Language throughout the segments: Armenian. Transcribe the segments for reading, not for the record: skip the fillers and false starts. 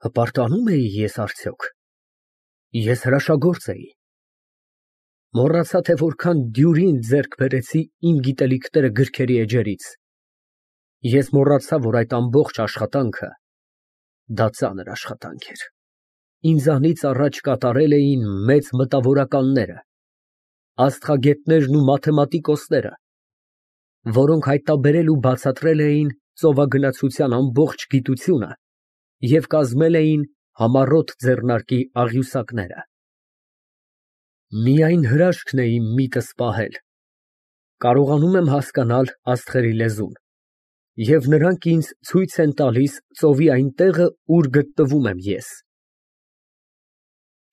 Հպարտանում էի ես արդյոք։ Ես հրաշագործ էի։ Մոռացա, թե որքան դյուրին ձեռք բերեցի իմ գիտելիքները գրքերի էջերից։ Ես մոռացա, որ այդ ամբողջ աշխատանքը ծանր աշխատանք էր։ Ինձանից առաջ կատարել էին մեծ մտավորականները, աստղագետներն ու մաթեմատիկոսները, որոնք հայտնաբերել ու բացատրել էին ծովագնացության ամբողջ գիտությունը և կազմել էին համառոտ ձեռնարկի աղյուսակները։ Միայն հրաշքն է իմ միտքս պահել, կարողանում եմ հասկանալ աստղերի լեզուն, և նրանք ինձ ցույց են տալիս ծովի այն տեղը, ուր գտնվում եմ ես։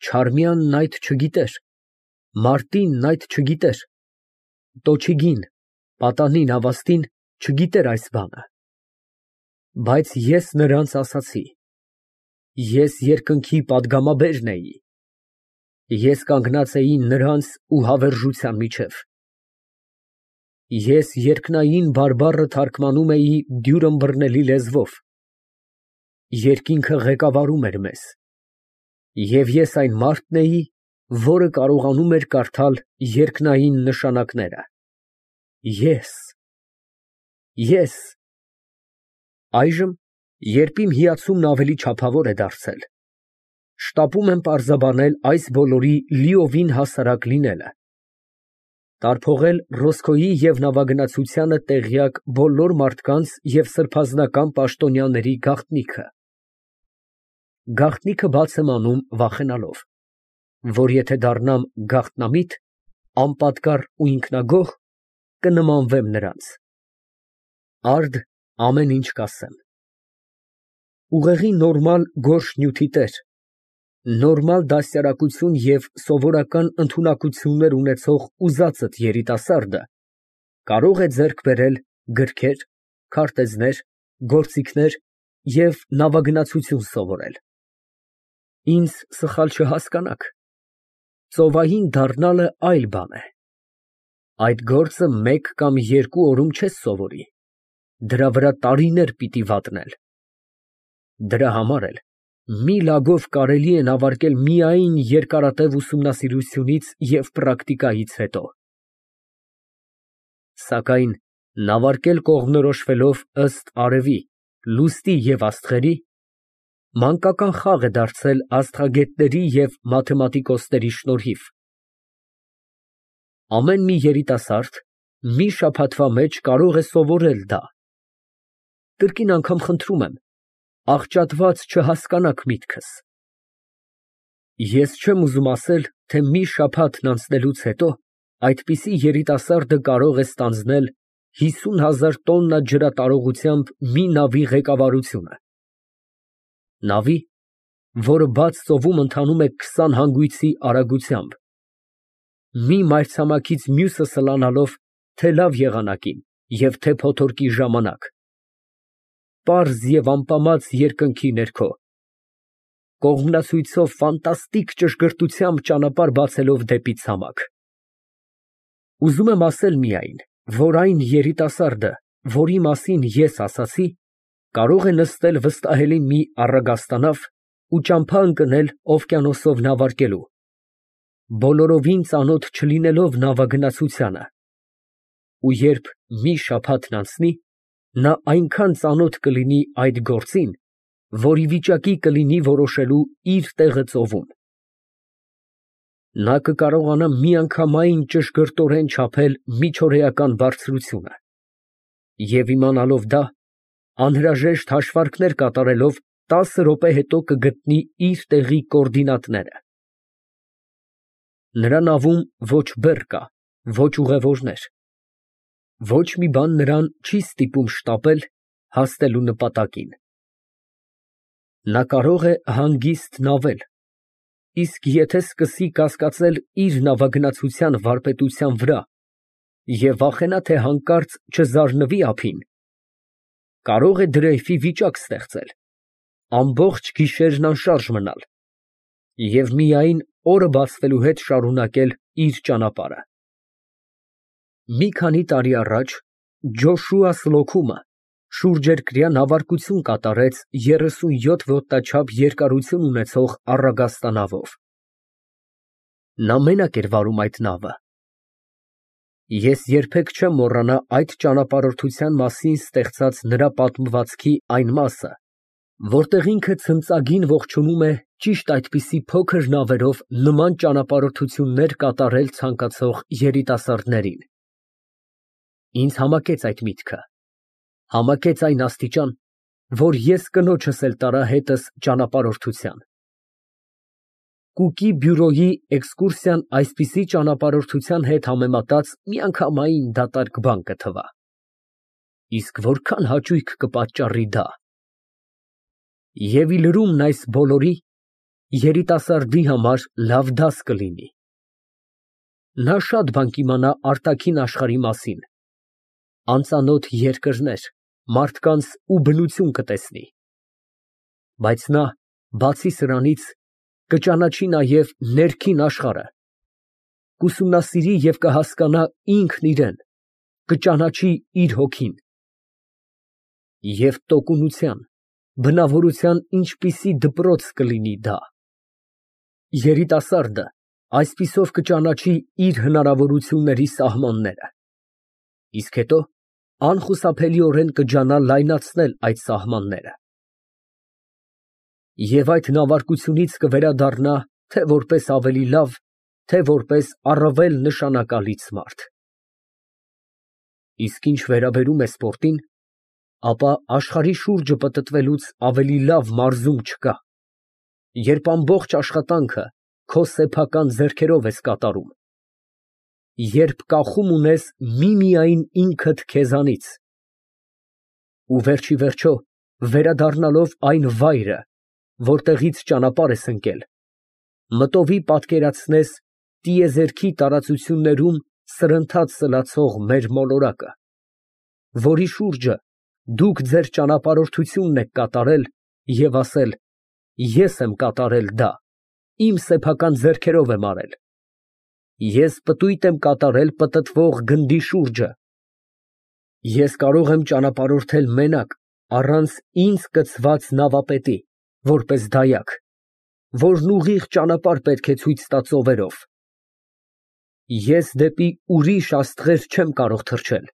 Չարմյանն այդ չգիտեր, մարտինն այդ չգիտեր, տոչիգին, պատանին, ավաստին չգիտեր այս բանը, բայց ես նրանց ասացի, ես երկնքի պատգամաբերն էի, ես կանգնած էի նրանց ու հավերժության միջև, ես երկնային բարբառը թարգմանում էի դյուր ըմբռնելի լեզվով, երկինքը ղեկավարում էր մեզ, և ես այն մարդն էի, որը կարողանում էր կարդալ երկնային նշանակները, ես։ Այժմ, երբ իմ հիացումն ավելի չափավոր է դարձել, շտապում եմ պարզաբանել այս բոլորի լիովին հասարակ լինելը, տարփողել Ռոսկոյի և նավագնացությանը տեղյակ բոլոր մարդկանց և սրբազանական պաշտոնյաների գաղտնիքը։ Գաղտնիքը բաց եմ անում վախենալով, որ եթե դառնամ գաղտնամիտ, անպատկառ ու ինքնագոհ, կնմանվեմ նրանց։ Արդ ամեն ինչ կասեմ։ Ուղեղի նորմալ գորշ նյութի տեր, նորմալ դաստիարակություն և սովորական ընդունակություններ ունեցող ուզածդ երիտասարդը կարող է ձեռք բերել գրքեր, քարտեզներ, գործիքներ և նավագնացություն սովորել։ Ինձ սխալ չհասկանաք, ծովային դառնալը այլ բան է։ Այդ գործը մեկ կամ երկու օրում չես սովորի, դրա վրա տարիներ պիտի վատնել։ Դրա համար էլ մի լագով կարելի է նավարկել միայն երկարատև ուսումնասիրությունից և պրակտիկայից հետո։ Սակայն նավարկել կողմնորոշվելով ըստ արևի, լուսնի և աստղերի, մանկական խաղ է դարձել աստղագետների և մաթեմատիկոսների շնորհիվ։ Ամեն մի երիտասարդ մի շաբաթվա մեջ կարող է սովորել դա։ Կրկին անգամ խնդրում եմ, աղճատված չհասկանաք միտքս։ Ես չեմ ուզում ասել, թե մի շաբաթն անցնելուց հետո այդպիսի երիտասարդը կարող է ստանձնել 50,000 տոննա ջրատարողությամբ մի նավի ղեկավարությունը։ Նավի, որը բաց ծովում ընթանում է 20 հանգույցի արագությամբ, մի մայրցամաքից մյուսը սլանալով թե՛ լավ եղանակին և թե՛ փոթորկի ժամանակ, պարզ և ամպամած երկնքի ներքո, կողմնացույցով ֆանտաստիկ ճշգրտությամբ ճանապարհ բացելով դեպի ցամաք։ Ուզում եմ ասել միայն, որ այն երիտասարդը, որի մասին ես ասացի, կարող է նստել վստահելի մի առագաստանավ ու ճամփա ընկնել օվկիանոսով նավարկելու, բոլորովին ծանոթ չլինելով նավագնացությանը, ու երբ մի շաբաթն անցնի, նա այնքան ծանոթ կլինի այդ գործին, որ ի վիճակի կլինի որոշելու իր տեղը ծովում։ Նա կկարողանա միանգամայն ճշգրտորեն չափել միջօրեական բարձրությունը և իմանալով դա, անհրաժեշտ հաշվարկներ կատարելով 10 րոպե հետո կգտնի իր տեղի կոորդինատները։ Նրա նավում ոչ բեռ կա, ոչ ուղևորներ, ոչ մի բան նրան չի ստիպում շտապել հասնելու նպատակին։ Նա կարող է հանգիստ նավել, իսկ եթե սկսի կասկածել իր նավագնացության վարպետության վրա և վախենա, թե հանկարծ չզարնվի ափին, կարող է դրեյֆի վիճակ ստեղծել, ամբողջ գիշերն անշարժ մնալ և միայն օրը բացվելու հետ շարունակել իր ճանապարհը։ Մի քանի տարի առաջ Ջոշուա Սլոքումը շուրջերկրյա նավարկություն կատարեց 37 ոտնաչափ երկարություն ունեցող առագաստանավով։ Նա մենակ էր վարում այդ նավը։ Ես երբեք չեմ մոռանա այդ ճանապարհորդության մասին ստեղծած նրա պատմվածքի այն մասը, որտեղ ինքը ցնծագին ողջունում է ճիշտ այդպիսի փոքր նավերով նման ճանապարհորդություններ կատարել ցանկացող երիտասարդներին։ Ինձ համակեց այդ միտքը, համակեց այն աստիճան, որ ես կնոջս էլ տարա հետս ճանապարհորդության։ Կուկի բյուրոյի էքսկուրսիան այսպիսի ճանապարհորդության հետ համեմատած միանգամայն դատարկ բան կթվա։ Իսկ որքան հաճույք կպատճառի դա։ Եվ ի լրումն այս բոլորի երիտասարդի համար լավ դաս կլինի։ Նա շատ բան կիմանա արտաքին աշխարհի մասին, անծանոթ երկրներ, մարդկանց ու բնություն կտեսնի։ Բայց նա, բացի սրանից, կճանաչի նաև ներքին աշխարհը, կուսումնասիրի և կհասկանա ինքն իրեն, կճանաչի իր հոգին։ Եվ տոկունության, բնավորության ինչպիսի դպրոց կլինի դա։ Երիտասարդը այսպիսով կճանաչի իր հնարավորությունների սահմանները, իսկ հետո անխուսափելիորեն կջանա լայնացնել այդ սահմանները։ Եվ այդ նավարկությունից կվերադառնա թե որպես ավելի լավ, թե որպես առավել նշանակալից մարդ։ Իսկ ինչ վերաբերում է սպորտին, ապա աշխարհի շուրջը պտտվելուց ավելի լավ մարզում չկա, երբ ամբողջ աշխատանքը քո սեփական ձեռքերով ես կատարում, երբ կախում ունես միմիայն ինքդ քեզանից, ու վերջիվերջո, վերադառնալով այն վայրը, որտեղից ճանապարհ ես ընկել, մտովի պատկերացնես տիեզերքի տարածություններում սրընթաց սլացող մեր մոլորակը, որի շուրջը դուք ձեր ճանապարհորդությունն եք կատարել և ասել. ես եմ կատարել դա, իմ սեփական ձեռքերով եմ արել, ես պտույտ եմ կատարել պտտվող գնդի շուրջը, ես կարող եմ ճանապարհորդել մենակ, առանց ինձ կցված նավապետի, որպես դայակ, որն ուղիղ ճանապարհ պետք է ցույց տա ծովերով, ես դեպի ուրիշ աստղեր չեմ կարող թռչել,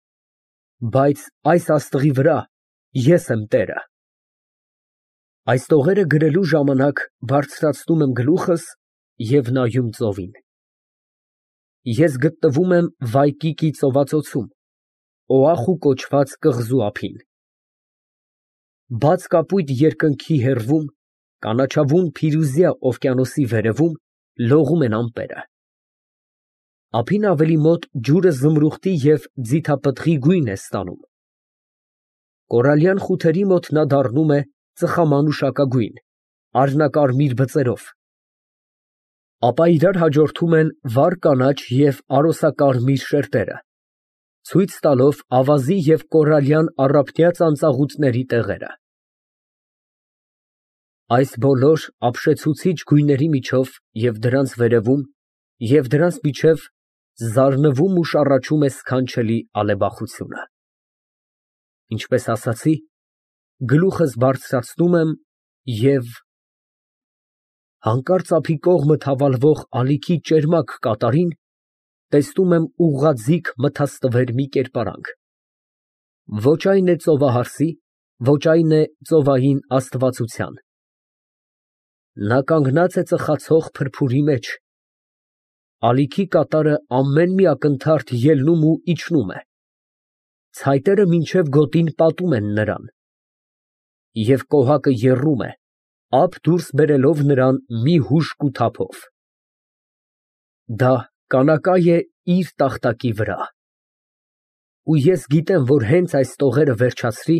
բայց այս աստղի վրա ես եմ տերը։ Այս տողերը գրելու ժամանակ բարձրացնում եմ գլուխս և նայում ծովին։ Ես գտնվում եմ Վայկիկի ծովածոցում, Օախու կոչված կղզու ափին։ Բաց կապույտ երկնքի հեռվում, կանաչավուն փիրուզյա օվկիանոսի վերևում լողում են ամպերը։ Ափին ավելի մոտ ջուրը զմրուխտի և ձիթապտղի գույն է ստանում։ Կորալյան խութերի մոտ նա դառնում է ծխամանուշակագույն, արհնակարմիր բծերով, ապա իրար հաջորդում են վառ կանաչ և արոսակարմիր շերտերը, ցույց տալով ավազի և կորալյան առափնյա ծանծաղուտների տեղերը։ Այս բոլոր ապշեցուցիչ գույների միջով և դրանց վերևում և դրանց միջև զարնվում ու շառաչում է սքանչելի ալեբախությունը։ Ինչպես ասացի, գլուխս բարձրացնում եմ և… հանկարծ ափի կողմը թավալվող ալիքի ճերմակ կատարին տեսնում եմ ուղղաձիգ մթաստվեր մի կերպարանք։ Ոչ այն է ծովահարսի, ոչ այն է ծովային աստվածության։ Նա կանգնած է ծխացող փրփուրի մեջ, ալիքի կատարը ամեն մի ակնթարթ ելնում ու իջնում է, ցայտերը մինչև գոտին պատում են նրան, և կոհակը եռում է, ափ դուրս բերելով նրան մի հուժկու թափով։ Դա կանակայ է իր տախտակի վրա։ Ու ես գիտեմ, որ հենց այս տողերը վերջացրի,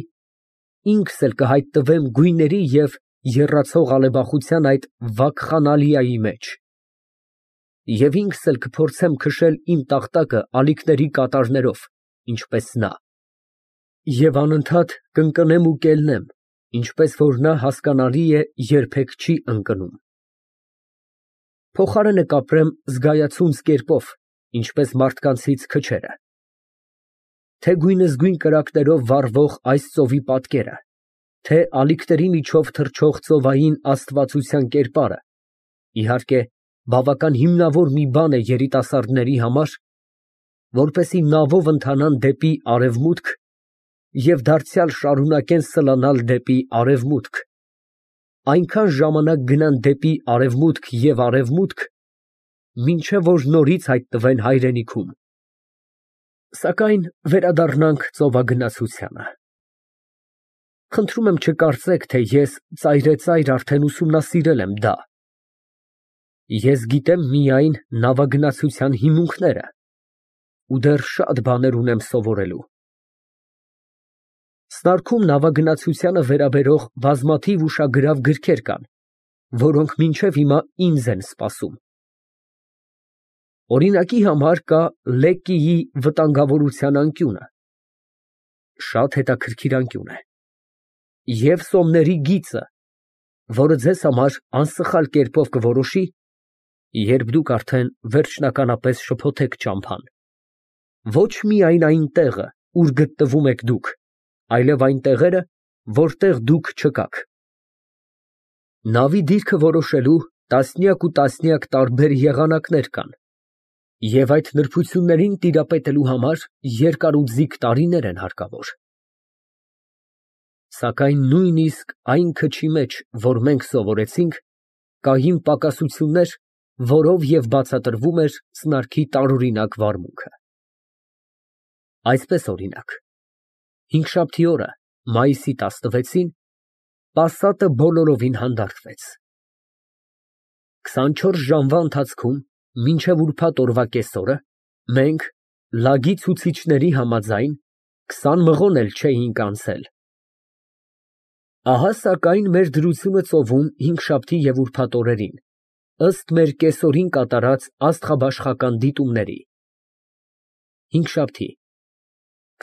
ինքս էլ կհայտնվեմ գույների և եռացող ալեբախության այդ վակխանալիայի մեջ, և ինքս էլ կփորձեմ քշել իմ տախտակը ալիքների կատարներով, ինչպես նա, և անընդհատ կընկնեմ ու կելնեմ, ինչպես որ նա, հասկանալի է, երբեք չի ընկնում։ Փոխարենը կապրեմ զգայացունց կերպով, ինչպես մարդկանցից քչերը։ թե գույնզգույն կրակներով վառվող այս ծովի պատկերը, թե ալիքների միջով թռչող ծովային աստվածության կերպարը, իհարկե, բավական հիմնավոր մի բան է երիտասարդների համար, որպեսզի նավով ընթանան դեպի արևմուտք և դարձյալ շարունակեն սլանալ դեպի արևմուտք, այնքան ժամանակ գնան դեպի արևմուտք և արևմուտք, մինչև որ նորից հայտնվեն հայրենիքում։ Սակայն վերադառնանք ծովագնացությանը։ Խնդրում եմ չկարծեք, թե ես ծայրեծայր արդեն ուսումնասիրել եմ դա։ Ես գիտեմ միայն նավագնացության հիմունքները ու դեռ շատ բաներ ունեմ սովորելու։ Սնարքում նավագնացությանը վերաբերող բազմաթիվ ուշագրավ գրքեր կան, որոնք մինչև հիմա ինձ են սպասում։ Օրինակի համար կա Լեկկիի վտանգավորության անկյունը, շատ հետաքրքիր անկյուն է, և Սոմների գիծը, որը ձեզ համար անսխալ կերպով կորոշի, երբ դուք արդեն վերջնականապես շփոթեք ճամփան, ոչ միայն այն տեղը, ուր գտնվում եք դուք, այլև այն տեղերը, որտեղ դուք չկաք։ Նավի դիրքը որոշելու տասնյակ ու տասնյակ տարբեր եղանակներ կան, և այդ նրբություններին տիրապետելու համար երկար ու ձիգ տարիներ են հարկավոր։ Սակայն նույնիսկ այն քչի մեջ, որ մենք սովորեցինք, կային պակասություններ, որով և բացատրվում էր սնարքի տարօրինակ վարմունքը։ Այսպես, օրինակ, հինգշաբթի օրը, մայիսի 16-ին, պասատը բոլորովին հանդարտվեց։ 24 ժամվա ընթացքում, մինչև ուրբաթ օրվա կեսօրը, մենք, լագի ցուցիչների համաձայն, 20 մղոն էլ չէինք անցել։ Ահա սակայն մեր դրությունը ծովում հինգշաբթի և ուրբաթ օրերին, ըստ մեր կեսօրին կատարած աստղաբաշխական դիտումների։ Հինգշաբթի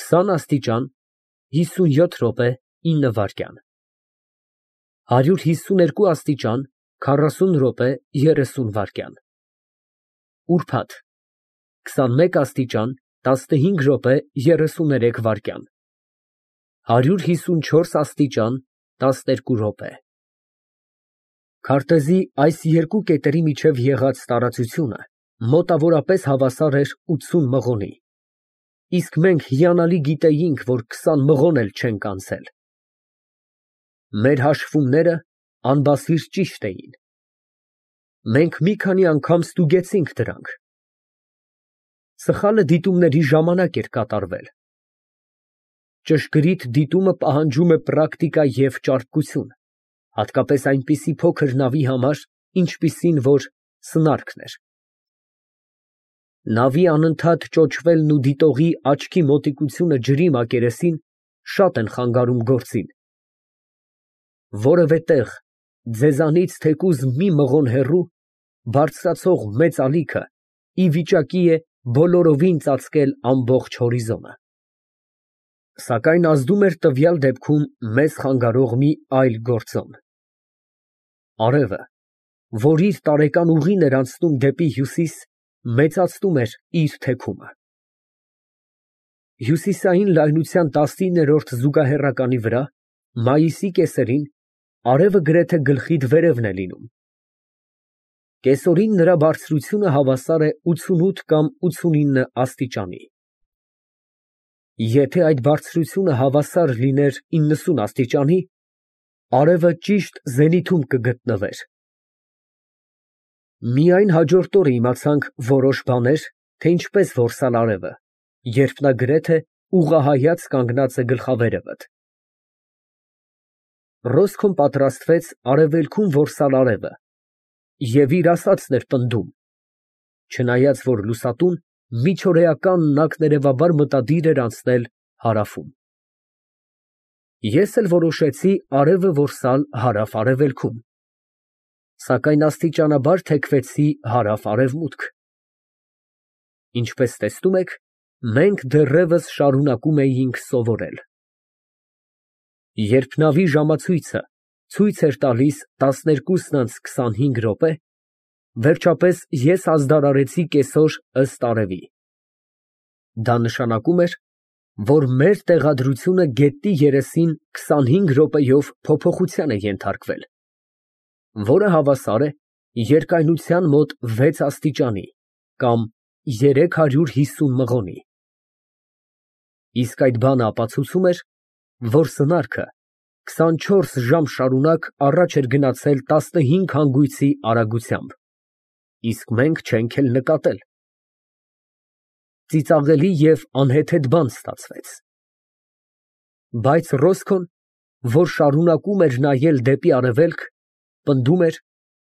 20 աստիճան 57 րոպե 9 վայրկյան 152 աստիճան 40 րոպե 30 վայրկյան Ուրբաթ 21 աստիճան 15 րոպե 33 վայրկյան 154 աստիճան 12 րոպե Քարտեզի այս երկու կետերի միջև եղած տարածությունը մոտավորապես հավասար էր 80 մղոնի, իսկ մենք հիանալի գիտեինք, որ 20 մղոն էլ չենք անցել։ Մեր հաշվումները անբասիր ճիշտ էին։ Մենք մի քանի անգամ ստուգեցինք դրանք։ Սխալը դիտումների ժամանակ էր կատարվել։ Ճշգրիտ դիտումը պահանջում է պրակտիկա և ճարպկություն, հատկապես այնպիսի փոքր նավի համար, ինչպիսին որ սնարքն էր։ Նավի անընդհատ ճոճվելն ու դիտողի աչքի մոտիկությունը ջրի մակերեսին շատ են խանգարում գործին։ Որևէ տեղ, ձեզանից թեկուզ մի մղոն հեռու, բարձրացող մեծ ալիքը ի վիճակի է բոլորովին ծածկել ամբողջ հորիզոնը։ Սակայն ազդում էր տվյալ դեպքում մեզ խանգարող մի այլ գործոն։ Արևը, որ իր տարեկան ուղին էր անցնում դեպի հյուսիս, մեծացնում էր իր թեքումը։ Հյուսիսային լայնության 19-րդ զուգահեռականի վրա, մայիսի կեսերին, արևը գրեթե գլխիդ վերևն է լինում։ Կեսօրին նրա բարձրությունը հավասար է 88 կամ 89 աստիճանի։ Եթե այդ բարձրությունը հավասար լիներ 90 աստիճանի, արևը ճիշտ զենիթում կգտնվեր։ Միայն հաջորդ օրը իմացանք որոշ բաներ, թե ինչպես որսալ արևը, երբ նա գրեթե ուղղահայաց կանգնած է գլխավերևդ։ Ռոսկոն պատրաստվեց արևելքում որսալ արևը և իր ասածն էր պնդում, չնայած որ լուսատուն միջօրեական նակներևաբար մտադիր էր անցնել հարավում։ Ես էլ որոշեցի արևը որսալ հարավ֊արևելքում, սակայն աստիճանաբար թեքվեցի հարավ֊արևմուտք։ Ինչպես տեսնում եք, մենք դեռևս շարունակում էինք սովորել։ Երբ նավի ժամացույցը ցույց էր տալիս 12:25 րոպե, վերջապես ես ազդարարեցի կեսօր ըստ արևի։ Դա նշանակում էր, որ մեր տեղադրությունը գետնի երեսին 25 րոպեով փոփոխության է ենթարկվել, որը հավասար է երկայնության մոտ 6 աստիճանի կամ 350 մղոնի։ Իսկ այդ բանը ապացուցում էր, որ սնարքը 24 ժամ շարունակ առաջ էր գնացել 15 հանգույցի արագությամբ, իսկ մենք չենք էլ նկատել։ Ծիծաղելի և անհեթեթ բան ստացվեց։ Բայց Ռոսկոն, որ շարունակում էր նայել դեպի արևելք, պնդում էր,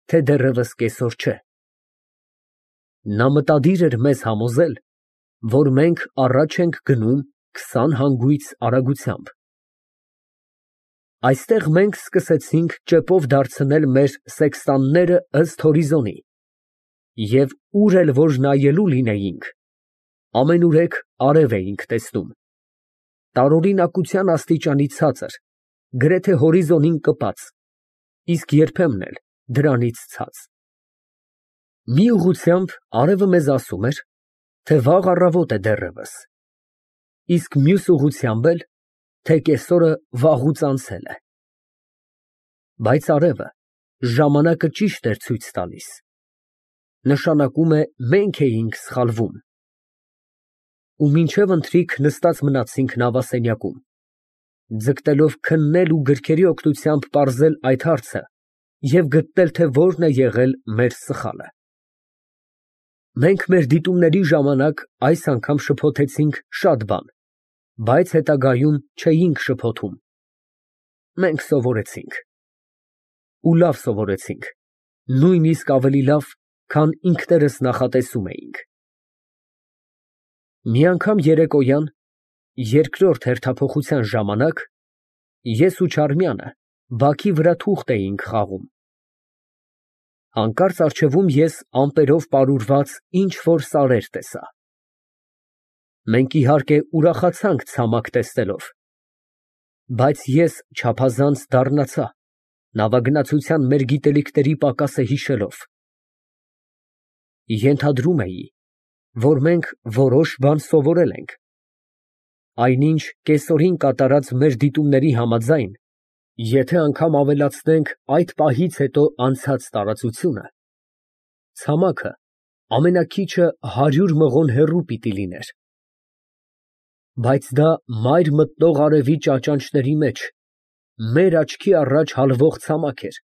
թե դեռևս կեսօր չէ։ Նա մտադիր էր մեզ համոզել, որ մենք առաջ ենք գնում 20 հանգույց արագությամբ։ Այստեղ մենք սկսեցինք ճեպով դարձնել մեր սեքստանները ըստ հորիզոնի, և ուր էլ որ նայելու լինեինք, ամենուրեք արև էինք տեսնում, տարօրինակության աստիճանի ցածր, գրեթե հորիզոնին կպած, իսկ երբեմն էլ դրանից ցած։ Մի ուղղությամբ արևը մեզ ասում էր, թե վաղ առավոտ է դեռևս, իսկ մյուս ուղղությամբ էլ, թե կեսօրը վաղուց անցել է։ Բայց արևը ժամանակը ճիշտ էր ցույց տալիս, նշանակում է մենք էինք սխալվում։ Ու մինչև ընթրիք նստած մնացինք նավասենյակում, ձգտելով քննել ու գրքերի օգնությամբ պարզել այդ հարցը և գտնել, թե որն է եղել մեր սխալը։ Մենք մեր դիտումների ժամանակ այս անգամ շփոթեցինք շատ բան, բայց հետագայում չէինք շփոթում։ Մենք սովորեցինք։ Ու լավ սովորեցինք, նույնիսկ ավելի լավ, քան ինքներս նախատեսում էինք։ Մի անգամ երեկոյան, երկրորդ հերթափոխության ժամանակ, ես ու Չարմյանը բակի վրա թուղթ էինք խաղում։ Հանկարծ առջևում ես ամպերով պարուրված ինչ֊որ սարեր տեսա։ Մենք իհարկե ուրախացանք ցամաք տեսնելով, բայց ես չափազանց դառնացա, նավագնացության մեր գիտելիքների պակասը հիշելով։ Ենթադրում էի, որ մենք որոշ բան սովորել ենք, այնինչ կեսօրին կատարած մեր դիտումների համաձայն, եթե անգամ ավելացնենք այդ պահից հետո անցած տարածությունը, ցամաքը ամենաքիչը 100 մղոն հեռու պիտի լիներ։ Բայց դա մայր մտնող արևի ճաճանճների մեջ մեր աչքի առաջ հալվող ցամաք էր։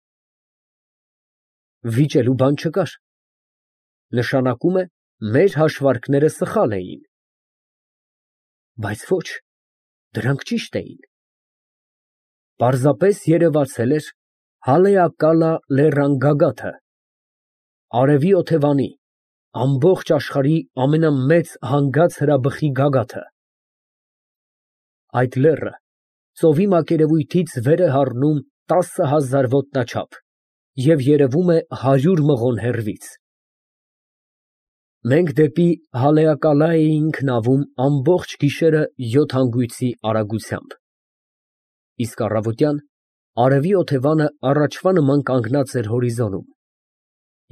Վիճելու բան չկար, նշանակում է, մեր հաշվարկները սխալ էին։ Բայց ոչ, դրանք ճիշտ էին։ Պարզապես երևացել էր Հալեակալա լեռան գագաթը, արևի օթևանի, ամբողջ աշխարհի ամենամեծ հանգած հրաբխի գագաթը։ Այդ լեռը ծովի մակերևույթից վեր է հառնում 10,000 ոտնաչափ և երևում է 100 մղոն հեռվից։ Մենք դեպի Հալեակալա էինք նավում ամբողջ գիշերը 7 հանգույցի արագությամբ, իսկ առավոտյան արևի օթևանը առաջվա նման կանգնած էր հորիզոնում,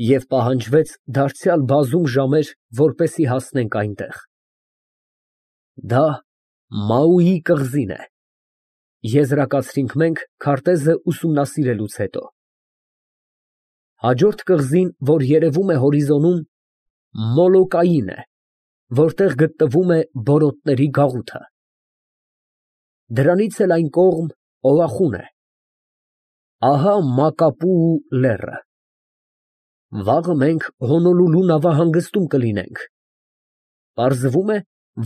և պահանջվեց դարձյալ բազում ժամեր, որպեսզի հասնենք այնտեղ։ Դա Մաուի կղզին է, եզրակացրինք մենք քարտեզը ուսումնասիրելուց հետո։ Հաջորդ կղզին, որ երևում է հորիզոնում, Մոլոկային է, որտեղ գտնվում է բորոտների գաղութը։ Դրանից էլ այն կողմ Օախուն է։ Ահա Մակապուու լեռը։ Վաղը մենք Հոնոլուլու նավահանգստում կլինենք։ Պարզվում է,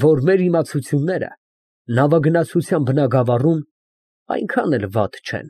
որ մեր իմացությունները նավագնացության բնագավառում այնքան էլ վատ չեն։